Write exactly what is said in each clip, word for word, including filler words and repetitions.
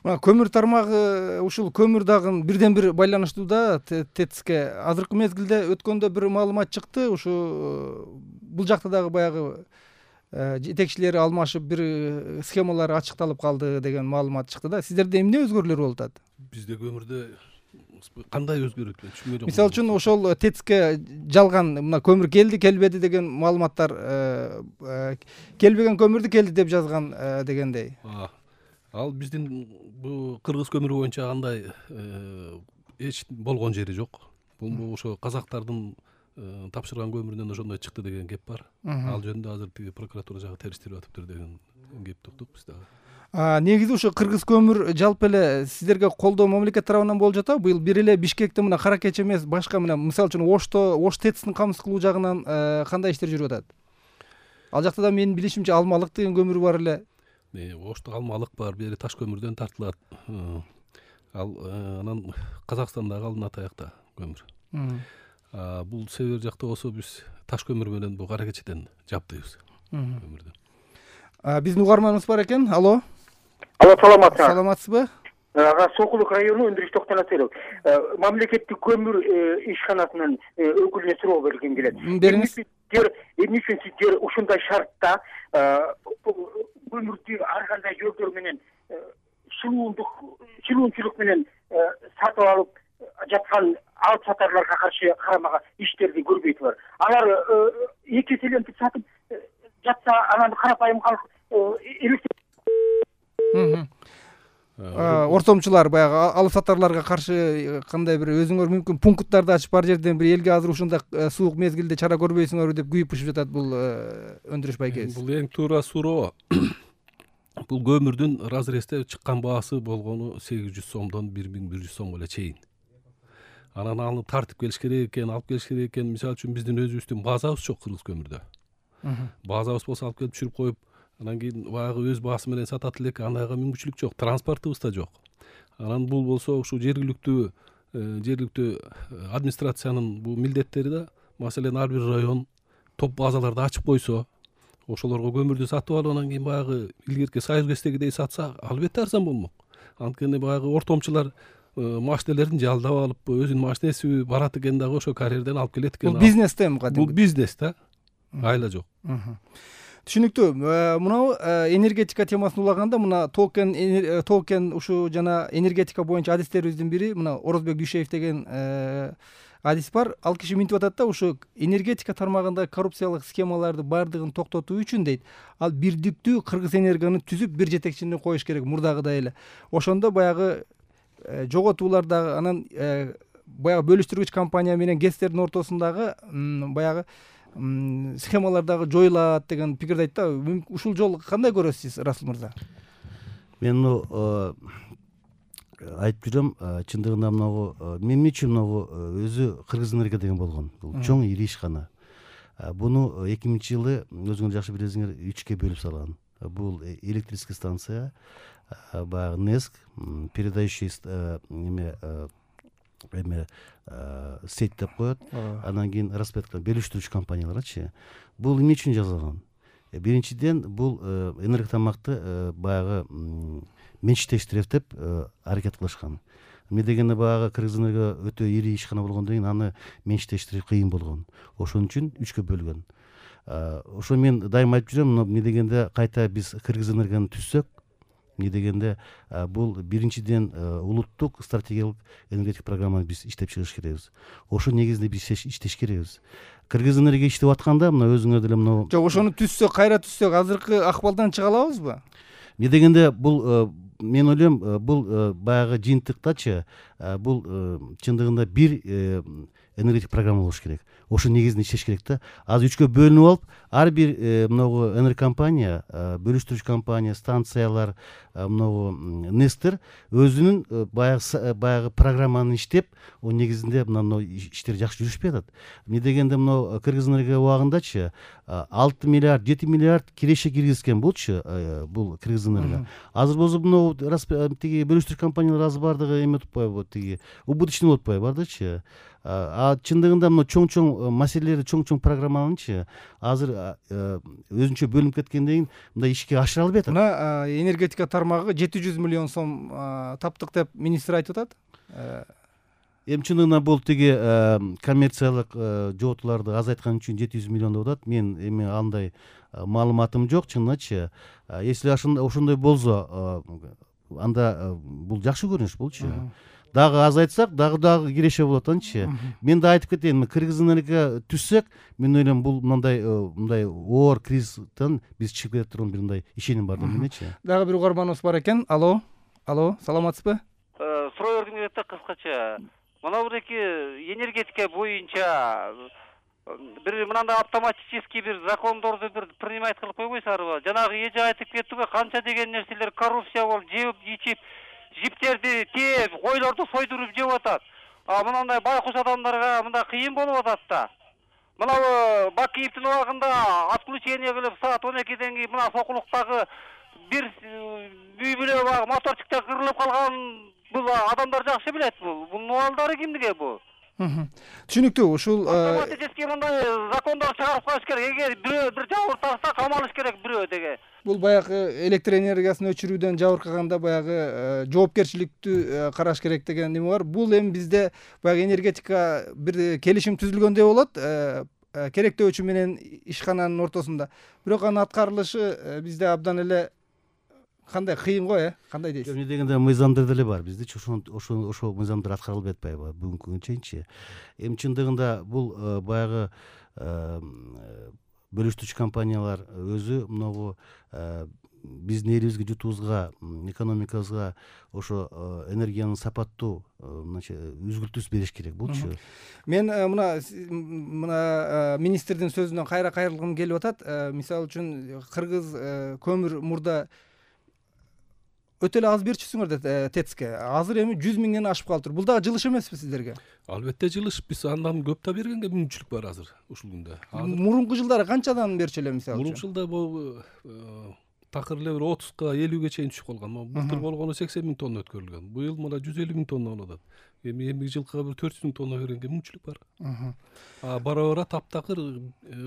Мына көмүр тармагы ушул көмүр дагы бирден бир байланыштуу да ТЭЦке. Азыркы мезгилде өткөндө бир маалымат чыкты, ушу бул жакта дагы баягы жетекчилери алмашып бир схемалар ачыкталып калды деген маалымат чыкты да. Сиздерде эмне өзгөрүүлөр болуп атат? Бизде көмүрдө кандай өзгөрөт мен түшүнбөй жатам. Мисалы үчүн ошол ТЭЦке жалган мына көмүр келди, келбеди деген маалыматтар, келбеген көмүрдү келди деп жазган дегендей. Ал биздин бул кыргыз көмүрү боюнча андай эч болгон жери жок. Бул ошо казактардын тапшырган көмүрүнөн ошондой чыкты деген кеп бар. Ал жөнүндө азыр тиги прокуратура жагы териштирип атыптыр деген кепти уктук биз дагы. Негизи ошо кыргыз көмүр жалпы эле сиздерге колдоо мамлекет тарабынан болуп жатабы? Быйыл бир эле Бишкекте мына кара кеч эмес, башка мына мисалы үчүн Ошто, Ош ТЭЦин камсыз кылуу жагынан кандай иштер жүрүп атат? Ал жакта да менин билишимче алмалык деген көмүр бар эле. Ошто алмалык бар, бери таш көмүрдөн тартылат. Ал анан Казакстандагы алынат аякта көмүр. Бул север жакта болсо биз таш көмүр менен бул кара кечеден жабдыйбыз көмүрдү. Биздин угарманыбыз бар экен. Алло. Алло, саламатсызбы? Саламатсызбы? Ага, Сокулук району Өндүрүш Токтонасеров. Мамлекеттик көмүр ишканасынын өкүлүнө суроо бергим келет. Бериңиз. Эмне үчүн сиздер ушундай шартта көмүрдү ар кандай жолдор менен шылуундук, шылуунчулук менен сатып алып жаткан алып сатарларга каршы карамага иштерди көрбөйсүңөр? Алар эки эселентип сатып жатса, анан карапайым калк ортомчулар баягы алып сатарларга каршы кандай бир өзүңөр мүмкүн пункттарды ачып бар жерден бир элге азыр ушундай суук мезгилде чара көрбөйсүңөрбү деп күйүп-пышып жатат бул өндүрүш байкебиз. Бул эң туура суроо. Бул көмүрдүн разрезде чыккан баасы болгону сегиз жүз сомдон бир миң бир жүз сомго эле чейин. Анан аны тартып келиш керек экен, алып келиш керек экен. Мисалы үчүн биздин өзүбүздүн базабыз жок кыргыз көмүрдө. Базабыз болсо алып келип түшүрүп коюп, анан кийин баягы өз баасы менен сатат элек, андайга мүмкүнчүлүк жок. Транспортубуз да жок. Анан бул болсо ушул жергиликтүү жергиликтүү администрациянын бул милдеттери да, маселен ар бир район топ базаларды ачып койсо, ошолорго көмүрдү сатып алып, анан кийин баягы илгерки Союз ГЭСтегидей сатса, албетте арзан болмок. Анткени баягы ортомчулар машинелерин жалдап алып, өзүнүн машинеси барат экен дагы ошо карьерден алып келет экен. Бул бизнес да эми кадимки. Бул бизнес да. Айла жок. Түшүнүктүү. Мынау энергетика темасын улаганда мына токен токен ушу жана энергетика боюнча адистерибиздин бири мына Орозбек Дүйшеев деген адис бар. Ал киши минтип атат да, ушу энергетика тармагында коррупциялык схемаларды бардыгын токтотуу үчүн дейт, ал бирдиктүү Кыргыз Энергону түзүп бир жетекчини коюш керек, мурдагыдай эле. Ошондо баягы жоготуулар дагы анан баягы бөлүштүргүч компания менен ГЭСтердин ортосундагы баягы схемалар дагы жоюлат деген пикирди айтты да. Ушул жолу кандай көрөсүз, Расул мырза? Мен айтып жүрөм, чындыгында мынагу мен үчүн мынагу өзү Кыргыз Энерго деген болгон. Бул чоң ири ишкана. Буну эки миңинчи жылы өзүңөр жакшы билесиңер үчкө бөлүп салган. Бул электрический станция, баягы НЭСК, передающий эме эме сеть деп коет. Анан кийин распределка бөлүштүрүүчү компанияларчы. Бул эмне үчүн жасалган? Биринчиден, бул энерготамакты баягы менчиктештирет деп аракет кылышкан. Эмне дегенде баягы Кыргыз Энерго өтө ири ишкана болгондон кийин аны менчиктештирүү кыйын болгон. Ошон үчүн үчкө бөлгөн. Ошо мен дайыма айтып жүрөм, эмне дегенде кайта биз Кыргыз Энергону түзсөк, эмне дегенде бул биринчиден улуттук стратегиялык энергетик программаны биз иштеп чыгыш керекбиз. Ошо негизинде биз иштеш керекбиз. Кыргыз Энерго иштеп атканда мына өзүңөр деле мына жок, ошону түзсөк, кайра түзсөк, азыркы акыбалдан чыга алабызбы? Эмне дегенде бул мен ойлойм, бул баягы жыйынтыктачы бул чындыгында бир энергетик программа болуш керек. Ошо негизинде иштеш керек да. Азыр үчкө бөлүнүп алып, ар бир мынагу энергокомпания, бөлүштүрүүчү компания, станциялар, мынагу НЭСктер өзүнүн баягы баягы программаны иштеп, о негизинде мына иштер жакшы жүрүшпөй атат. Эмне дегенде мына Кыргыз Энерго убагындачы алты миллиард, жети миллиард киреше киргизген болчу бул Кыргыз Энерго. Азыр болсо мына тиги бөлүштүрүүчү компаниялар азыр бардыгы эме өтүп атпайбы, тиги убыточный болуп атпайбы, бардычы. А чындыгында мына чоң чоң маселелерди чоң чоң программаланычы азыр өзүнчө бөлүнүп кеткенден кийин мындай ишке ашыра албай атат. Мына энергетика тармагы жети жүз миллион сом таптык деп министр айтып атат. Эми чындыгында бул тиги коммерциялык жоготууларды азайткан үчүн жети жүз миллион деп атат. Мен эми андай маалыматым жок чынычы. Если ошондой болсо анда бул жакшы көрүнүш болчу. Дагы азайтсак, дагы дагы киреше болот анчы. Мен да айтып кетейин, Кыргызстанга түссөк, мен ойлойм бул мындай мындай оор кризистен биз чыгып кете турган бир мындай ишеним бар деп менечи. Дагы бир угарманыбыз бар экен. Алло. Алло, саламатсызбы? Суроо бердим эле кыскача. Мына буреки энергетика боюнча бир мындай автоматический бир закондорду бир принимать кылып койбойсуздарбы? Жанагы эже айтып кеттиго, канча деген нерселер коррупция болуп, жеп ичип, жиптерди тээп, койлорду сойдуруп жеп атат. А мындай байкуш адамдарга мындай кыйын болуп атат да. Мына Бакиевдин убагында отключение кылып саат он экиден кийин мына Сокулуктагы бир үй бүлө багы моторчукта кырылып калган бул адамдар жакшы билет бул. Бунун абалдары кимдиге бул? Түшүнүктүү. Ушул автоматический мындай закондор чыгарып коюш керек. Эгер бирөө бир жабыр тартса камалыш керек бирөө деге. Бул баягы электр энергиясын өчүрүүдөн жабыркаганда баягы жоопкерчиликтүү караш керек деген неме бар. Бул эми бизде баягы энергетика бир келишим түзүлгөндөй болот. Керектөөчү менен ишкананын ортосунда. Бирок анын аткарылышы бизде абдан эле кандай кыйын го, э? Кандай дейсиз? Эмне дегенде мыйзамдар деле бар. Бизде ошо ошо ошо мыйзамдар аткарылбай атпайбы бүгүнкү күнгө чейинчи. Эми чындыгында бул баягы бөлүштүрүүчү компаниялар өзү могу биздин элибизге жутуубузга, экономикабызга ошо энергиянын сапаттуу үзгүлтүүсү бериш керек болчу. Мен мына мына министрдин сөзүнөн кайра кайрылгым келип атат. Мисалы үчүн Кыргыз көмүр мурда өтө эле аз берчүсүңөр деп ТЭЦке. Азыр эми жүз миңден ашып калыптыр. Бул дагы жылыш эмеспи сиздерге? Албетте жылыш. Биз андан көп да бергенге мүмкүнчүлүк бар азыр ушул күндө. Мурунку жылдары канчадан берчү эле мисалы үчүн? Мурунку жылда бул такыр эле бир отузга элүүгө чейин түшүп калган. Былтыр болгону сексен миң тонна өткөрүлгөн. Быйыл мына жүз элүү миң тонна болуп атат. Эми эмки жылкыга бир төрт жүз миң тонна бергенге мүмкүнчүлүк бар. А бара-бара таптакыр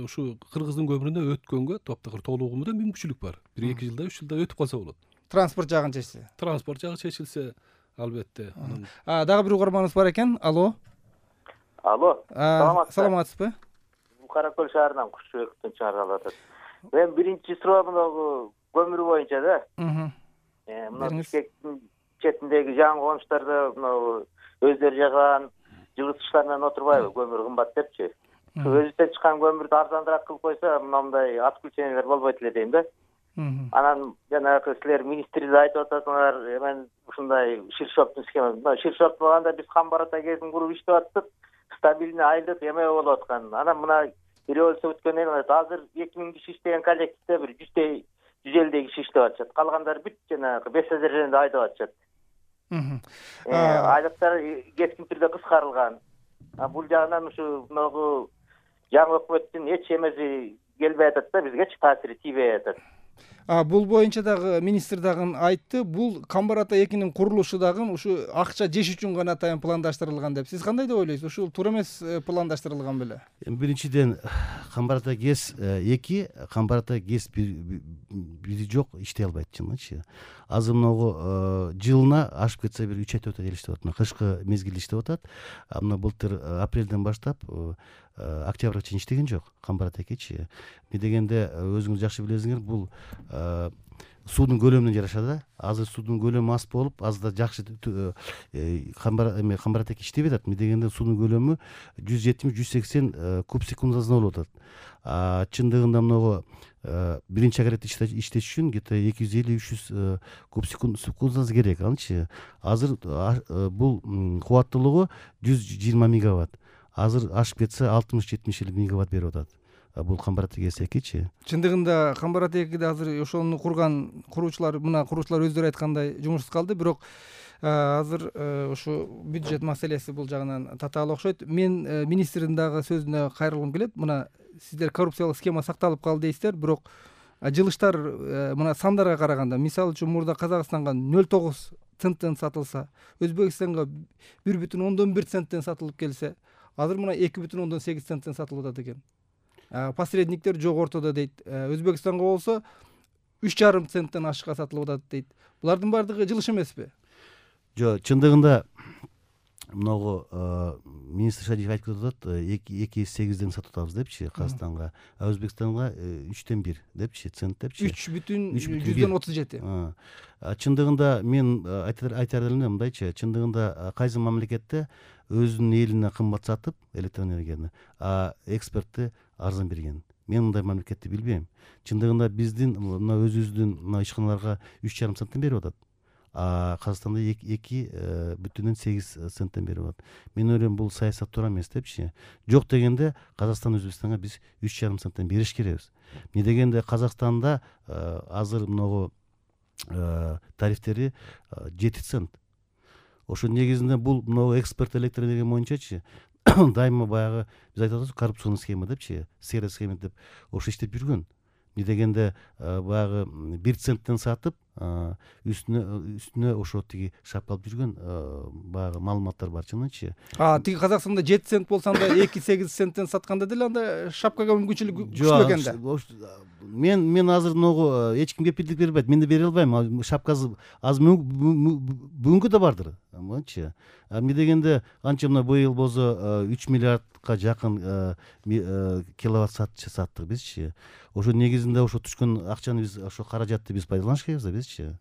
ушу Кыргыздын көмүрүнө өткөнгө таптакыр толугу менен мүмкүнчүлүк бар. бир эки жылда, үч жылда өтүп калса болот. Транспорт жагын чечсе. Транспорт жагы чечилсе, албетте. А дагы бир угарманыбыз бар экен. Алло. Алло. Саламатсызбы? Кара Көл шаарынан Кушчубековдун чыгарып атат. Мен биринчи суроо мына көмүр боюнча да. Э, мына Бишкектин четиндеги жаңы конуштарда мына өздөрү жаган жылытгычтар менен отурбайбы, көмүр кымбат депчи. Өзүбүздөн чыккан көмүрдү арзаныраак кылып койсо, мындай отключениялер болбойт эле дейм да. Анан жанагы силер министрде айтып атасыңар, мен ушундай Ширшоптун схемасы. Ширшоп болгондо биз Камбарата кезин куруп иштеп аттык, стабильный айлык эме болуп аткан. Анан мына революция өткөндөн кийин азыр эки миң киши иштеген коллективде бир жүздөй жүз элүү киши иштеп атышат. Калгандары бүт жанагы беш содержанияда айдап атышат. Айлыктар кескин түрдө кыскарылган. Бул жагынан ушу могу жаңы өкмөттүн эч эмеси келбей атат да, бизгечи таасири тийбей атат. А бул боюнча дагы министр дагы айтты, бул Камбарата экинин курулушу дагы ушу акча жеш үчүн гана атайын пландаштырылган деп. Сиз кандай деп ойлойсуз? Ушул туура эмес пландаштырылган беле? Биринчиден Камбарата ГЭС эки, Камбарата ГЭС бири жок, иштей албайт чынычы. Азыр могу жылына ашып кетсе бир үч ай төрт ай иштеп атат. Кышкы мезгилде иштеп атат. Мына былтыр апрелден баштап октябрга чейин иштеген жок Камбарата экичи. Эмне дегенде өзүңүз жакшы билесиңер, бул суунун көлөмүнөн жараша да. Азыр суунун көлөмү аз болуп, азыр да жакшы Камбарата эки иштебей атат. Эмне дегенде суунун көлөмү жүз жетимиш жүз сексен куб секундасына болуп атат. А чындыгында могу биринчи агрегат иштеш үчүн где-то эки жүз элүү үч жүз куб секундасы керек анчы. Азыр бул кубаттуулугу жүз жыйырма мегаватт. Азыр ашып кетсе алтымыш жетимиш элүү мегаватт берип атат. Бул Камбарата ГЭС экичи. Чындыгында Камбарата экиде азыр ошону курган куруучулар, мына куруучулар өздөрү айткандай жумушсуз калды, бирок азыр ушу бюджет маселеси бул жагынан татаал окшойт. Мен министрдин дагы сөзүнө кайрылгым келет. Мына сиздер коррупциялык схема сакталып калды дейсиздер, бирок жылыштар мына сандарга караганда, мисалы үчүн мурда Казакстанга нөл тогуз центтен сатылса, Өзбекстанга бир бүтүн ондон бир центтен сатылып келсе, азыр мына эки бүтүн ондон сегиз центтен сатылып атат экен. Посредниктер жок ортодо дейт. Өзбекстанга болсо үч жарым центтен ашыкка сатылып атат дейт. Булардын баардыгы жылыш эмеспи? Жок, чындыгында могу министр Шадиев айтып атат, эки сегизден сатып атабыз депчи Казакстанга, а Өзбекстанга үчтөн бир депчи, цент депчи. үч бүтүн жүздөн отуз жети. Чындыгында мен айтар элем мындайчы, чындыгында кайсы мамлекетте өзүнүн элине кымбат сатып электроэнергияны, а экспортты арзан берген. Мен мындай мамлекетти билбейм. Чындыгында биздин мына өзүбүздүн мына ишканаларга үч жарым центтен берип атат. А Казакстанда эки бүтүн сегиз центтен берип атат. Мен ойлойм бул саясат туура эмес депчи. Жок дегенде Казакстан Өзбекстанга биз үч жарым центтен бериш керекпиз. Эмне дегенде Казакстанда азыр могу тарифтери жети цент. Ошо негизинде бул могу экспорт электроэнергия боюнчачы дайыма баягы биз айтып атабыз коррупционный схема депчи, серый схема деп ошо иштеп жүргөн. Эмне дегенде баягы бир центтен сатып үстүнө үстүнө ошо тиги шапка алып жүргөн баягы маалыматтар бар чынычы. А тиги Казакстанда жети цент болсо анда эки сегиз центтен сатканда деле анда шапкага мүмкүнчүлүк күчтүү экен да. Мен мен азыр могу эч ким кепилдик бербейт. Мен да бере албайм. Шапкасы азыр бүгүнкү да бардыр. Аманчы. Эмне дегенде анча мына быйыл болсо үч миллиардка жакын киловатт саттык бизчи. Ошо негизинде ошо түшкөн акчаны биз ошо каражатты биз пайдаланыш керекпиз да бизчи.